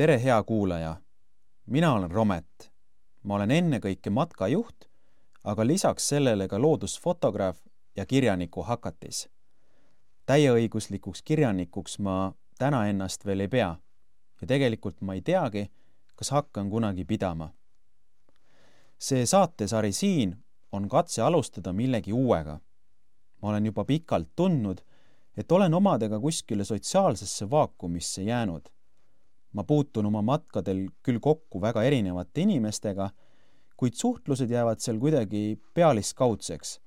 Tere, hea kuulaja! Mina olen Romet. Ma olen ennekõike matkajuht, aga lisaks sellele ka loodusfotograaf ja kirjaniku hakatis. Täieõiguslikuks kirjanikuks ma täna ennast veel ei pea ja tegelikult ma ei teagi, kas hakkan kunagi pidama. See saatesari siin on katse alustada millegi uuega. Ma olen juba pikalt tundnud, et olen omadega kuskile sotsiaalsesse vaakumisse jäänud. Ma puutun oma matkadel küll kokku väga erinevate inimestega, kuid suhtlused jäävad seal kuidagi pealiskaudseks,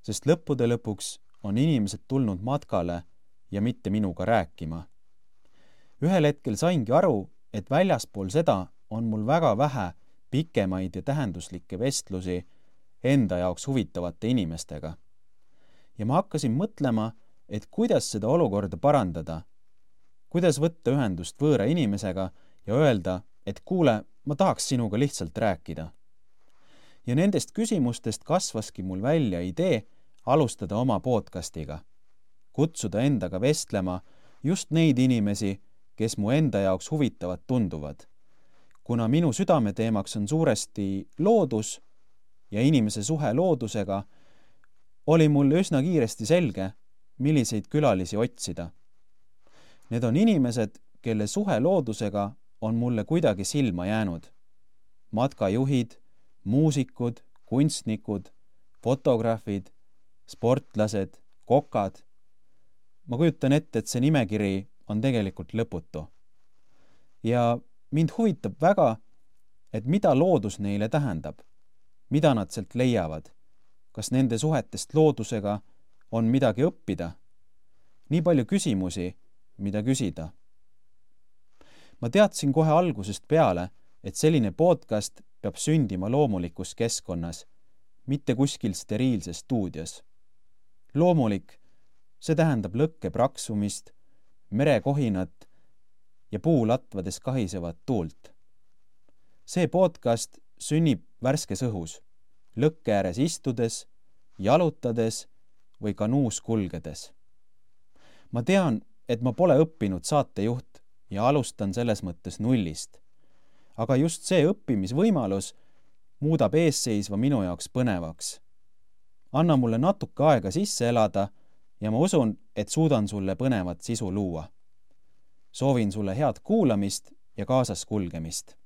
sest lõppude lõpuks on inimesed tulnud matkale ja mitte minuga rääkima. Ühel hetkel saingi aru, et väljaspool seda on mul väga vähe pikemaid ja tähenduslikke vestlusi enda jaoks huvitavate inimestega. Ja ma hakkasin mõtlema, et kuidas seda olukorda parandada, kuidas võtta ühendust võõra inimesega ja öelda, et kuule, ma tahaks sinuga lihtsalt rääkida. Ja nendest küsimustest kasvaski mul välja idee alustada oma podcastiga. Kutsuda endaga vestlema just neid inimesi, kes mu enda jaoks huvitavad tunduvad. Kuna minu südameteemaks on suuresti loodus ja inimese suhe loodusega, oli mul üsna kiiresti selge, milliseid külalisi otsida. Need on inimesed, kelle suhe loodusega on mulle kuidagi silma jäänud. Matkajuhid, muusikud, kunstnikud, fotograafid, sportlased, kokad. Ma kujutan ette, et see nimekiri on tegelikult lõputu. Ja mind huvitab väga, et mida loodus neile tähendab, mida nad sealt leiavad, kas nende suhetest loodusega on midagi õppida. Nii palju küsimusi, mida küsida. Ma teadsin kohe algusest peale, et selline podcast peab sündima loomulikus keskkonnas, mitte kuskil steriilses stuudios. Loomulik, see tähendab lõkke praksumist, merekohinat ja puulatvades kahisevat tuult. See podcast sünnib värskes õhus, lõkke ääres istudes, jalutades või kanuus kulgedes. Ma tean, et ma pole õppinud saatejuht ja alustan selles mõttes nullist. Aga just see õppimisvõimalus muudab eesseisva minu jaoks põnevaks. Anna mulle natuke aega sisse elada ja ma usun, et suudan sulle põnevat sisu luua. Soovin sulle head kuulamist ja kaasas kulgemist.